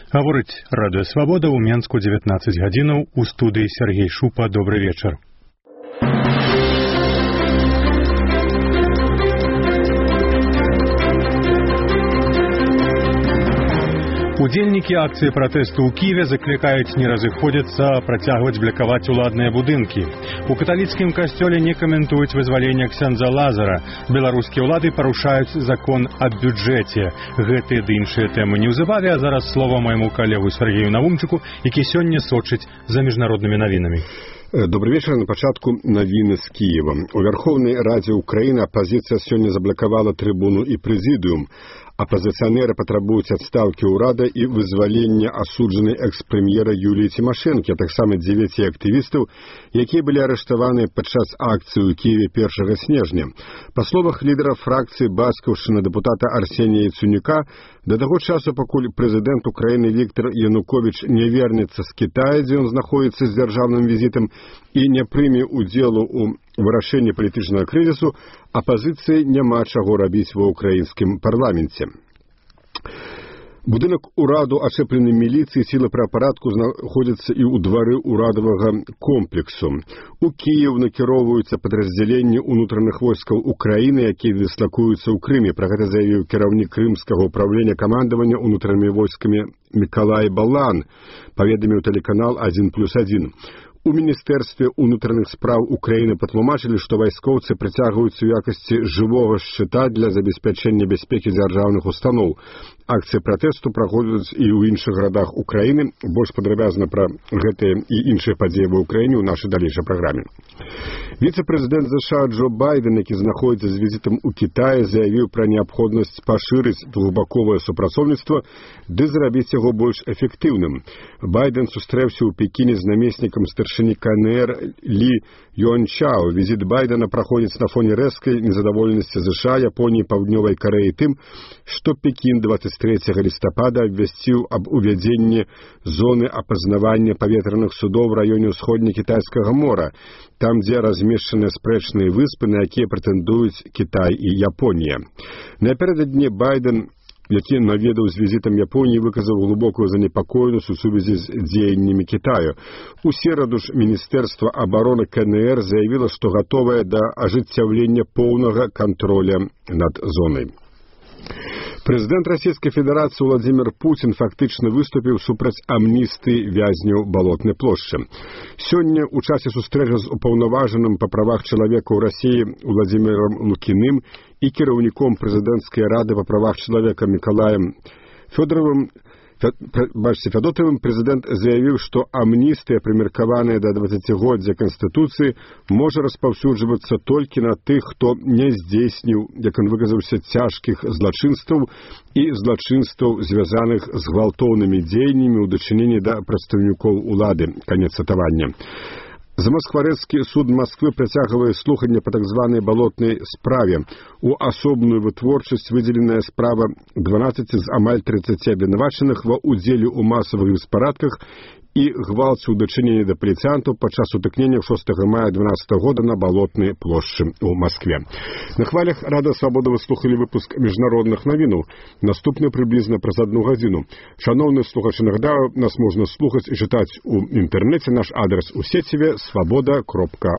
Гаворыць Радыё Свабода ў Менску 19 гадзінаў, у студыі Сергей Шупа. Добры вечар. Удзельнікі акцыі пратэсту ў Кіеве заклікаюць не разыходзіцца, а працягваць блакаваць уладныя будынкі. У каталіцкім касцёле не каментуюць вызвалення ксяндза Лазара. Беларускія ўлады парушаюць закон аб бюджэце. Гэтыя ды іншыя тэмы неўзабаве, а зараз слова майму калегу Сергею Наумчыку, які сёння сочыць за міжнароднымі навінамі. Добрый вечер. На пачатку навіны з Киева. У Верховнай Радзе Украіны апазіцыя сёння заблакавала трыбуну і прэзідыум. Апазіцыянеры патрабуюць адстаўкі ўрада і вызвалення асуджанай экс-прэм'ера Юліі Цімашэнкі, а таксама 9 актывістаў, якія былі арыштаваны падчас акцыі ў Киеве 1 снежня. Па словах лідара фракцыі бацькаўшчыны дэпутата Арсенія Яценюка, да таго часу, пакуль прэзідэнт Украіны Віктор Януковіч не вернецца з Кітая, дзе ён знаходзіцца з дзяржаўным візітам, і не прыме ўдзелу ў вырашэнні палітычнага крызісу, апазіцыі няма чаго рабіць ва ўкраінскім парламенце. Будынак ураду, ачэплены міліцыі, сілы правапарадку знаходзяцца і ў двары урадавага комплексу. У Кіеў накіроўваюцца падраздзяленні ўнутраных войскаў Украіны, якія дыслакуюцца ў Крыме. Пра гэта заявіў кіраўнік крымскага ўправлення камандавання ўнутранымі войскамі Мікалай Балан, паведаміў тэлеканал 1+1. У Міністэрстве ўнутраных спраў Украіны патлумачылі, што вайскоўцы прыцягваюцца ў якасці жывога шчыта для забеспячэння бяспекі дзяржаўных устаноў. Акцыі пратэсту праходзяць і ў іншых гарадах Украіны. Больш падрабязна пра гэтыя і іншыя падзеі ва ўкраіне ў нашай далейшай праграме. Віцэ-прэзідэнт США Джо Байден, які знаходзіцца з візітам у Кітаі, заявіў пра неабходнасць пашырыць двухбаковае супрацоўніцтва ды зрабіць яго больш эфектыўным. Байден сустрэўся ў Пекіне з намеснікам старшыні КНР Лі Юанчао. Візіт Байдена праходзіць на фоне рэзкай незадаволенасці США, Японіі і Паўднёвай Карэі тым, што Пекін 23 лістапада абвясціў аб увядзенні зоны апазнавання паветраных судоў в раёне ўсходне-кітайскага мора, там, дзе размешчаныя спрэчныя выспы, на якія прэтэндуюць Кітай і Японія. Напярэдадні Байден, які наведаў з візітам Японіі, выказаў глыбокую занепакоенасць у сувязі з дзеяннямі Кітаю. У сераду ж Міністэрства абароны КНР заявіла, што гатовае да ажыццяўлення поўнага кантроля над зонай. Прэзідэнт Расійскай Федэрацыі Владзімір Пуцін фактычна выступіў супраць амністыі вязняў Балотнай плошчы. Сёння ў часе сустрэчы з упаўнаважаным па правах чалавека ў Расіі Владзімірам Лукіным і кіраўніком прэзідэнцкай рады па правах чалавека Мікалаем Фядотавым прэзідэнт заявіў, што амністыя, прымеркаваная да 20годдзя Канстытуцыі, можа распаўсюджвацца толькі на тых, хто не здзейсніў, як ён выказаўся, цяжкіх злачынстваў і злачынстваў, звязаных з гвалтоўнымі дзеяннямі ў дачыненні да прадстаўнікоў улады. Канец цытавання. Замаскварэцкі суд Масквы працягвае слуханне па так званай балотнай справе. У асобную вытворчасць выдзеленая справа 12 з амаль 30 абвінавачаных ва ўдзеле ў масавых беспарадках і гвалце ў дачыненні да паліцыянтаў падчас сутыкнення 6 мая 2012 года на Балотнай плошчы ў Маскве. На хвалях Радыё Свабода вы слухалі выпуск міжнародных навінаў. Наступны прыблізна праз 1 гадзіну. Шаноўныя слухачы, нагадаю, нас можна слухаць і чытаць у інтэрнэце. Наш адрес у сеціве свабода.орг.